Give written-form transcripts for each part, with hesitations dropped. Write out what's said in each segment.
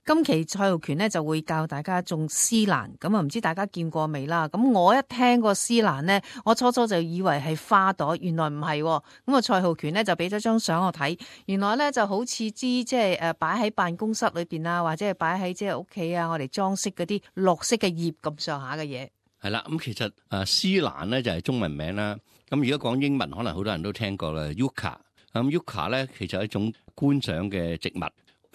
今期蔡浩權咧就會教大家種絲蘭，咁啊唔知大家見過未啦？咁我一聽過絲蘭咧，我初初就以為係花朵，原來唔係。咁啊蔡浩權咧就俾咗張相我睇，原來咧就好似支即係擺喺辦公室裏邊啊，或者係擺喺即係屋企啊，我哋裝飾嗰啲綠色嘅葉咁上下嘅嘢。係啦，咁其實絲蘭咧就係中文名啦。咁如果講英文，可能好多人都聽過啦，Yucca。咁 Yucca 咧其實係一種觀賞嘅植物。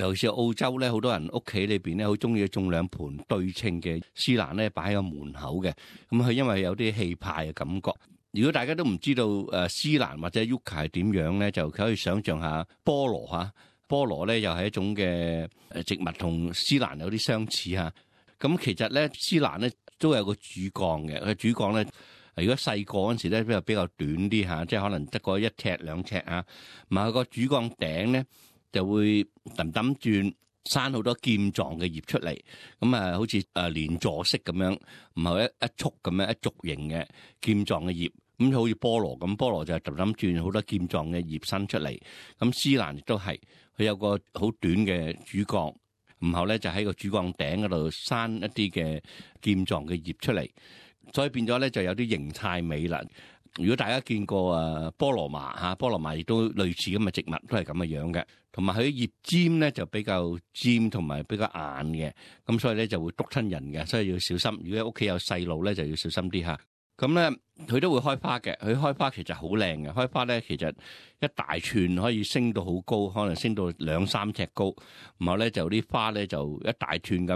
尤其是澳洲咧，好多人屋企裏邊咧，好中意種兩盆對稱嘅絲蘭咧，擺喺個門口嘅。咁佢因為有啲氣派嘅感覺。如果大家都唔知道絲蘭或者 Yucca 係點樣咧，就可以想象下菠蘿嚇。菠蘿咧又係一種嘅植物，同絲蘭有啲相似嚇。咁其實咧，絲蘭咧都有個主幹嘅。佢主幹咧，如果細個嗰陣時咧，比較短啲嚇，即係可能得個1尺2尺啊。唔係個主幹頂咧，就會揼揼轉生好多劍狀嘅葉出嚟，咁啊好似連座式咁樣，唔係一束咁樣一軸形嘅劍狀嘅葉，咁好似菠蘿咁，菠蘿就係揼揼轉好多劍狀嘅葉生出嚟。咁絲蘭亦都係，佢有個好短嘅主幹，然後咧就喺個主幹頂嗰度生一啲嘅劍狀嘅葉出嚟，所以變咗咧就有啲形態美啦。如果大家見過菠蘿麻嚇，菠蘿麻亦都類似咁嘅植物，都係咁嘅樣嘅。同埋佢葉尖咧就比較尖同埋比較硬嘅，咁所以咧就會篤親人嘅，所以要小心。如果屋企有細路咧，就要小心啲嚇。咁咧佢都會開花嘅，佢開花其實好靚嘅，開花咧其實一大串可以升到好高，可能升到2-3尺高。然後咧就啲花咧就一大串咁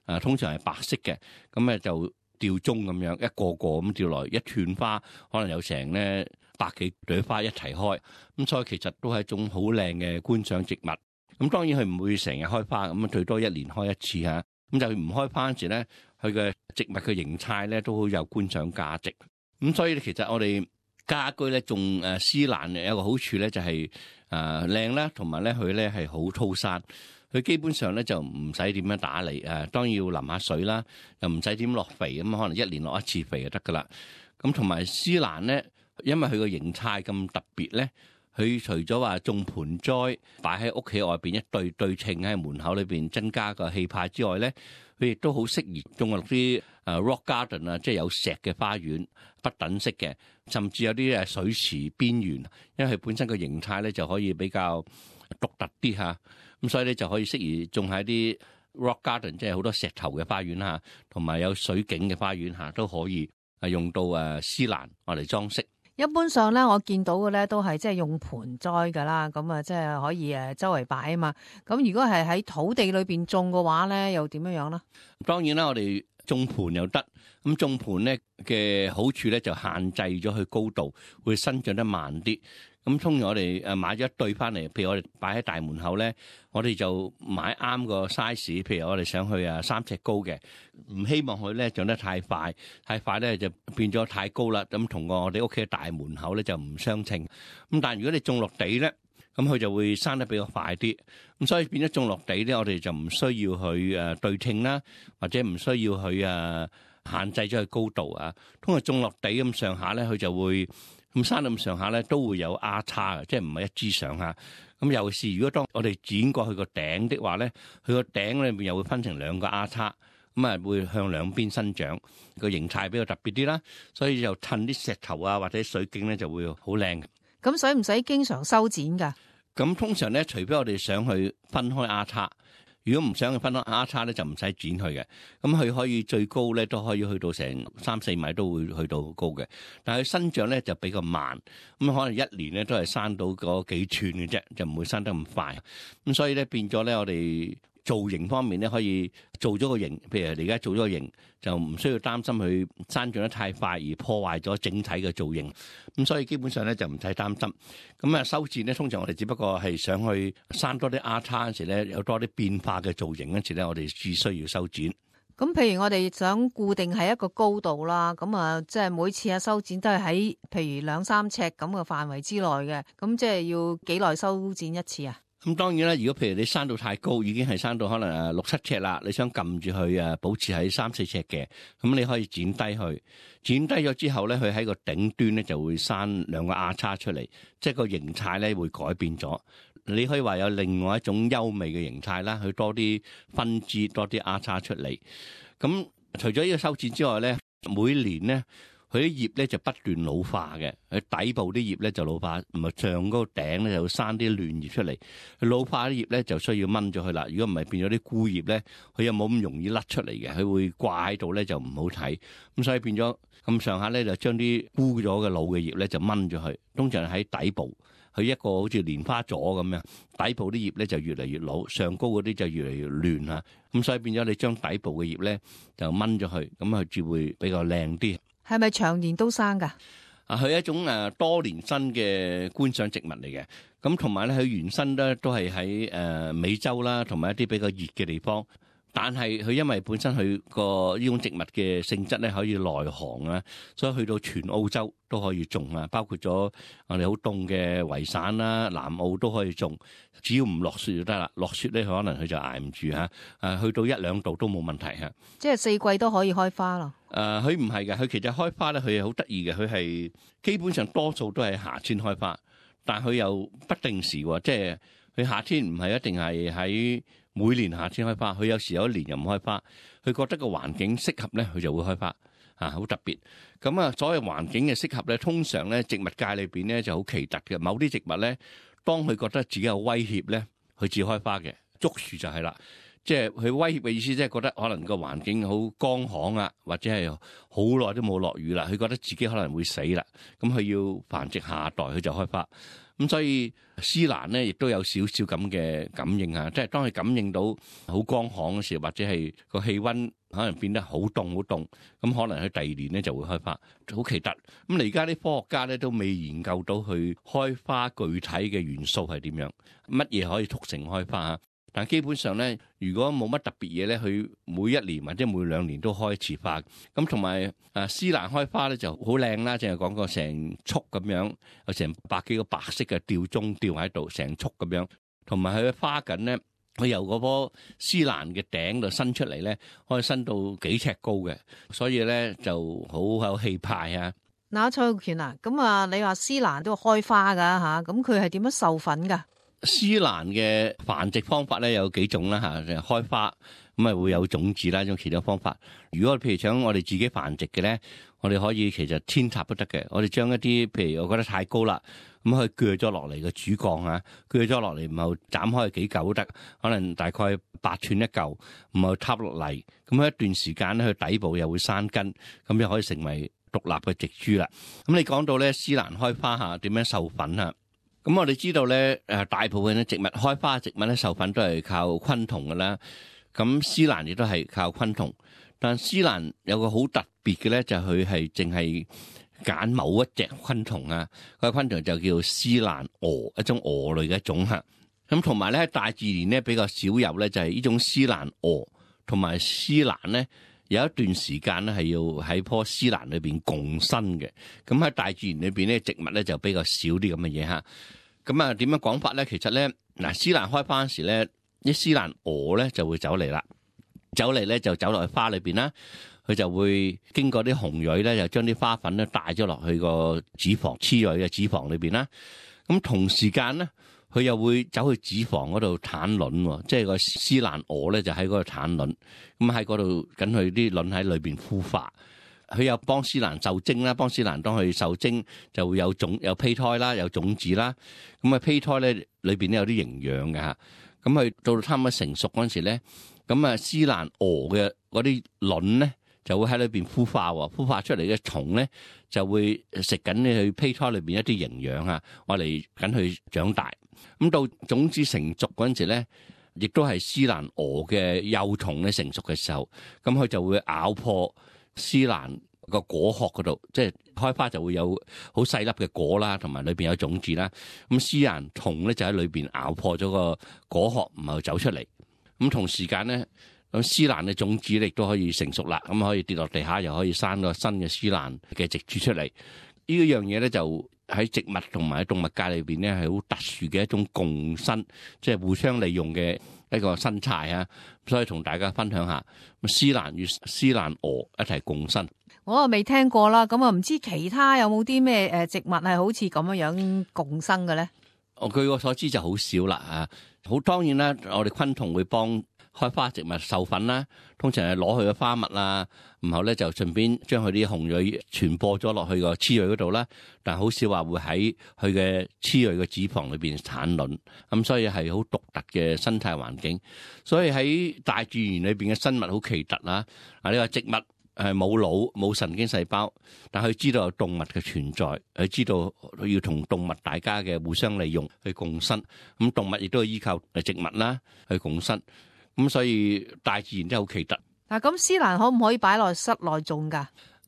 樣，通常係白色嘅，咁咧就吊鐘咁樣，一個個咁吊來，一串花可能有成咧100幾朵花一齊開，咁所以其實都係一種好靚嘅觀賞植物。咁當然佢唔會成日開花，咁最多1年開一次嚇。咁就唔開花嗰時咧，佢嘅植物嘅形態咧都好有觀賞價值。咁所以其實我哋家居咧種絲蘭有一個好處咧就係靚啦，同埋咧佢咧係好粗生。佢基本上咧就唔使點樣打理，當然要淋下水啦，又唔使點落肥，咁可能1年落一次肥就得噶啦。咁同埋絲蘭咧，因為佢個形態咁特別咧，佢除咗話種盆栽擺喺屋企外邊一對稱喺門口裏邊增加個氣派之外咧，佢亦都好適宜種落啲rock garden 啊，即係有石嘅花園，不等式嘅，甚至有啲水池邊緣，因為佢本身個形態咧就可以比較獨特啲嚇。咁所以咧就可以適宜種喺啲 rock garden， 即係好多石頭嘅花園嚇，同埋有水景嘅花園嚇，都可以用到絲蘭我嚟裝飾。一般上咧，我見到嘅咧都係即係用盆栽噶啦，咁啊即係可以周圍擺啊嘛。咁如果係喺土地裏邊種嘅話咧，又點樣樣咧？當然啦，我哋種盆又得。咁種盆咧嘅好處咧就限制咗佢高度，會生長得慢啲。咁通常我哋買咗一對翻嚟，譬如我哋擺喺大門口咧，我哋就買啱個 size。譬如我哋想去3尺高嘅，唔希望佢咧長得太快，太快咧就變咗太高啦。咁同我哋屋企嘅大門口咧就唔相稱。咁但係如果你種落地咧，咁佢就會生得比較快啲。咁所以變咗種落地咧，我哋就唔需要去對稱啦，或者唔需要去限制咗佢高度啊。通常種落地咁上下咧，佢就會。咁生到咁上下咧，都會有丫叉嘅，即係唔係一枝上下。咁尤其是如果當我哋剪過去個頂的話咧，佢個頂裏面又會分成2個丫叉，咁啊會向兩邊生長，個形態比較特別啲啦。所以就襯啲石頭啊或者水景咧就會好靚。咁使唔使經常修剪㗎？咁通常咧，除非我哋想去分開丫叉。如果唔想去分開丫叉咧，就唔使剪佢嘅。咁佢可以最高咧都可以去到成3-4米都會去到好高嘅。但係佢生長咧就比較慢，咁可能1年咧都係生到嗰幾寸嘅啫，就唔會生得咁快。咁所以咧變咗咧，我哋造型方面咧可以做咗個型，譬如你而家做咗個型，就唔需要擔心佢生長得太快而破壞咗整體嘅造型。咁所以基本上咧就唔使擔心。咁修剪咧，通常我哋只不過係想去生多啲丫叉嗰時咧，有多啲變化嘅造型嗰時咧，我哋只需要修剪。咁譬如我哋想固定喺一個高度啦，咁即係每次修剪都係喺譬如2-3尺咁嘅範圍之內嘅，咁即係要幾耐修剪一次啊？咁當然啦，如果譬如你生到太高，已經係生到可能6-7尺啦，你想撳住佢保持喺3-4尺嘅，咁你可以剪低佢。剪低咗之後咧，佢喺個頂端咧就會生2個丫叉出嚟，即係個形態咧會改變咗。你可以話有另外一種優美嘅形態啦，佢多啲分支，多啲丫叉出嚟。咁除咗呢個修剪之外咧，每年咧佢啲葉咧就不斷老化嘅，佢底部啲葉咧就老化，唔係上嗰個頂咧就生啲嫩葉出嚟。佢老化啲葉咧就需要掹咗佢啦。如果唔係變咗啲枯葉咧，佢又冇咁容易甩出嚟嘅，佢會掛喺度咧就唔好睇。咁所以變咗咁上下咧就將啲枯咗嘅老嘅葉咧就掹咗佢，通常喺底部。佢一個好似蓮花座咁樣，底部啲葉咧就越嚟越老，上高嗰啲就越嚟越嫩嚇。咁所以變咗你將底部嘅葉咧就掹咗佢，咁佢至會比較靚啲。係咪長年都生㗎？佢係一種多年生嘅觀賞植物嚟嘅。咁同埋咧，佢原生咧都係喺美洲啦，同埋一啲比較熱嘅地方。但係佢因為本身佢個呢種植物嘅性質咧可以耐寒啊，所以去到全澳洲都可以種啊，包括咗我哋好凍嘅維省啦、南澳都可以種，只要唔落雪就得啦。落雪咧，可能佢就捱唔住嚇，去到1-2度都冇問題嚇。即係4季都可以開花咯。佢唔係嘅，佢其實開花咧，佢係好得意嘅，佢係基本上多數都係夏天開花，但佢又不定時喎，即係佢夏天唔係一定係喺每年夏天開花，佢有時有一年又唔開花，佢覺得個環境適合咧，佢就會開花，好特別。咁所謂環境嘅適合咧，通常咧植物界裏邊咧就好奇特嘅。某啲植物咧，當佢覺得自己有威脅咧，佢至開花嘅。竹樹就係啦，即係佢威脅嘅意思，即係覺得可能個環境好乾旱啊，或者係好耐都冇落雨啦，佢覺得自己可能會死啦，咁佢要繁殖下一代，佢就開花。咁所以絲蘭咧，亦都有少少咁嘅感應啊！即係當佢感應到好乾旱嘅時候，或者係個氣溫可能變得好凍好凍，咁可能佢第2年咧就會開花，好奇特。咁而家啲科學家咧都未研究到佢開花具體嘅元素係點樣，乜嘢可以促成開花啊？但基本上咧，如果冇乜特別嘢咧，佢每1年或者每2年都開一次花。咁同埋絲蘭開花咧就好靚啦，淨係講過成束咁樣，有成百幾個白色嘅吊鐘吊喺度，成束咁樣。同埋佢嘅花梗咧，佢由嗰棵絲蘭嘅頂度伸出嚟咧，可以伸到幾尺高嘅，所以咧就好有氣派啊！嗱，蔡浩權啊，咁你話絲蘭都開花㗎嚇，咁佢係點樣授粉㗎？絲蘭嘅繁殖方法咧有幾種啦嚇，開花咁會有種子啦，一種其他方法。如果譬如想我哋自己繁殖嘅咧，我哋可以其實扦插都得嘅。我哋將一啲譬如我覺得太高啦，咁可以鋸咗落嚟嘅主幹啊，鋸咗落嚟，然後斬開幾嚿都得，可能大概8寸一嚿，然後插落嚟，咁一段時間咧，佢底部又會生根，咁又可以成為獨立嘅植株啦。咁你講到咧絲蘭開花嚇點樣授粉啊？咁我哋知道咧，大部分嘅植物開花植物咧授粉都係靠昆蟲噶啦。咁絲蘭亦都係靠昆蟲，但絲蘭有個好特別嘅咧，就係佢係淨係揀某一隻昆蟲啊。個昆蟲就叫絲蘭蛾，一種蛾類嘅一種嚇。咁同埋咧，大自然咧比較少有咧，就係呢種絲蘭蛾同埋絲蘭咧。有一段時間咧係要喺棵絲蘭裏邊共生嘅，咁喺大自然裏邊咧植物咧就比較少啲咁嘅嘢嚇。咁點樣講法咧？其實咧絲蘭開花嗰時咧，啲絲蘭蛾咧就會走嚟啦，走嚟咧就走落去花裏邊啦，佢就會經過啲雄蕊咧，就將啲花粉咧帶咗落去個子房雌蕊嘅子房裏邊啦。咁同時間咧，佢又會走去子房嗰度產卵喎，即係個絲蘭蛾咧就喺嗰度產卵，咁喺嗰度緊佢啲卵喺裏邊孵化，佢又幫絲蘭受精啦，幫絲蘭當佢受精就會有胚胎啦，有種子啦，咁胚胎咧裏邊咧有啲營養嘅嚇，咁佢到差唔多成熟嗰陣時咧，咁絲蘭蛾嘅嗰啲卵咧就會喺裏邊孵化喎，孵化出嚟嘅蟲咧就會食緊佢胚胎裏邊一啲營養啊，我嚟緊佢長大。咁到種子成熟嗰陣時咧，亦都係絲蘭蛾嘅幼蟲咧成熟嘅時候，咁佢就會咬破絲蘭個果殼嗰度，即係開花就會有好細粒嘅果啦，同埋裏邊有種子啦。咁絲蘭蟲咧就喺裏邊咬破咗個果殼，唔係走出嚟。咁同時間咧，咁絲蘭嘅種子亦都可以成熟啦，咁可以跌落地下，又可以生個新嘅絲蘭嘅植株出嚟。呢樣嘢咧就喺植物同埋喺動物界裏邊咧係好特殊嘅一種共生，即係互相利用嘅一個生態啊！所以同大家分享下，絲蘭與絲蘭蛾一齊共生。我未聽過啦，咁唔知其他有冇啲咩植物係好似咁樣共生嘅咧？我據我所知就好少啦啊！好當然啦，我哋昆蟲會幫開花植物授粉啦，通常係攞佢嘅花蜜啦，然後咧就順便將佢啲雄蕊傳播咗落去個雌蕊嗰度啦。但係好少話會喺佢嘅雌蕊嘅子房裏邊產卵，咁所以係好獨特嘅生態環境。所以喺大自然裏邊嘅生物好奇特啦。啊，呢個植物係冇腦冇神經細胞，但佢知道有動物嘅存在，佢知道要同動物大家嘅互相利用去共生。咁動物亦都係依靠植物啦去共生。咁所以大自然真係好奇特。嗱，咁絲蘭可唔可以擺落室內種噶？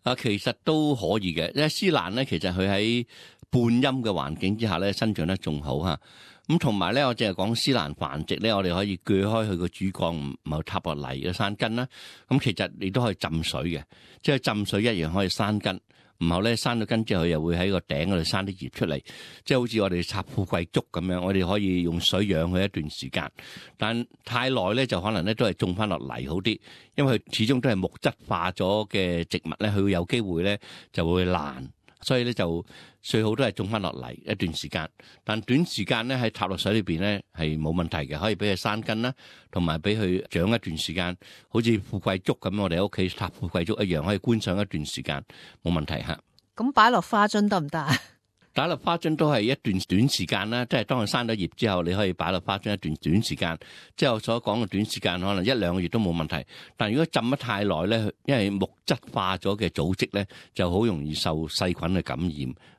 啊，其實都可以嘅，因為絲蘭咧，其實佢喺半陰嘅環境之下咧，生長得仲好嚇。咁同埋咧，我淨係講絲蘭繁殖咧，我哋可以鋸開佢個主幹，唔好插落泥嘅山根啦。咁其實你都可以浸水嘅，即係浸水一樣可以生根。然後咧生咗根之後，佢又會喺個頂嗰度生啲葉出嚟，即係好似我哋插富貴竹咁樣，我哋可以用水養佢一段時間。但太耐咧，就可能咧都係種翻落泥好啲，因為佢始終都係木質化咗嘅植物咧，佢會有機會咧就會爛，所以咧就最好都係種翻落泥一段時間。但短時間咧喺插落水裏邊咧係冇問題嘅，可以俾佢生根啦，同埋俾佢長一段時間，好似富貴竹咁，我哋喺屋企插富貴竹一樣，可以觀賞一段時間冇問題嚇。咁擺落花樽得唔得啊？擺落花樽都係一段短時間啦，即係當佢生咗葉之後，你可以擺落花樽一段短時間。即係我所講嘅短時間，可能一兩個月都冇問題。但如果浸得太耐咧，因為木質化咗嘅組織咧，就好容易受細菌嘅感染，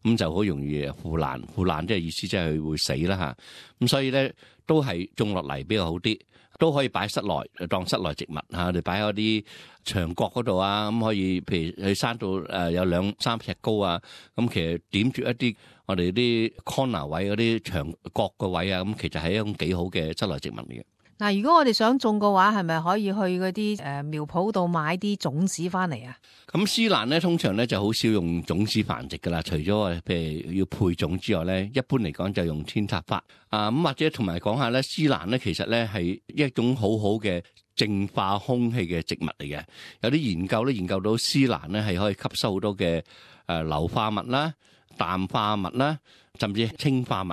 咁就好容易腐爛。腐爛即係意思即係佢會死啦嚇。咁所以咧都係種落嚟比較好啲。都可以擺室內當室內植物嚇，你擺喺啲牆角嗰度啊，咁可以譬如佢生到有2-3尺高啊，咁其實點住一啲我哋啲 corner 位嗰啲牆角個位啊，咁其實係一種幾好嘅室內植物嚟嘅。嗱，如果我哋想種嘅話，係咪可以去嗰啲苗圃度買啲種子翻嚟啊？咁絲蘭咧，通常咧就好少用種子繁殖噶啦，除咗譬如要配種之外咧，一般嚟講就用扦插法啊。咁或者同埋講下咧，絲蘭咧其實咧係一種好好嘅淨化空氣嘅植物嚟嘅。有啲研究咧研究到絲蘭咧係可以吸收好多嘅硫化物啦、氮化物啦，甚至氰化物。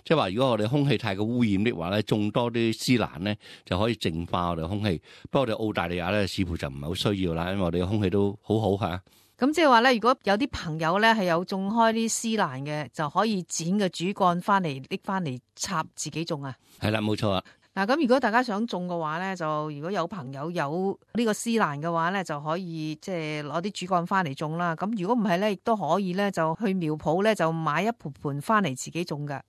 即係話，如果我哋空氣太過污染的話咧，種多啲絲蘭咧就可以淨化我哋空氣。不過我哋澳大利亞咧似乎就唔係好需要啦，因為我哋嘅空氣都好好嚇。咁即係話咧，如果有啲朋友咧係有種開啲絲蘭嘅，就可以剪個主幹翻嚟拎翻嚟插自己種啊。係啦，冇錯啊。嗱，咁如果大家想種嘅話咧，就如果有朋友有呢個絲蘭嘅話咧，就可以即係攞啲主幹翻嚟種啦。咁如果唔係咧，亦都可以咧就去苗圃咧就買一盆盆翻嚟自己種㗎。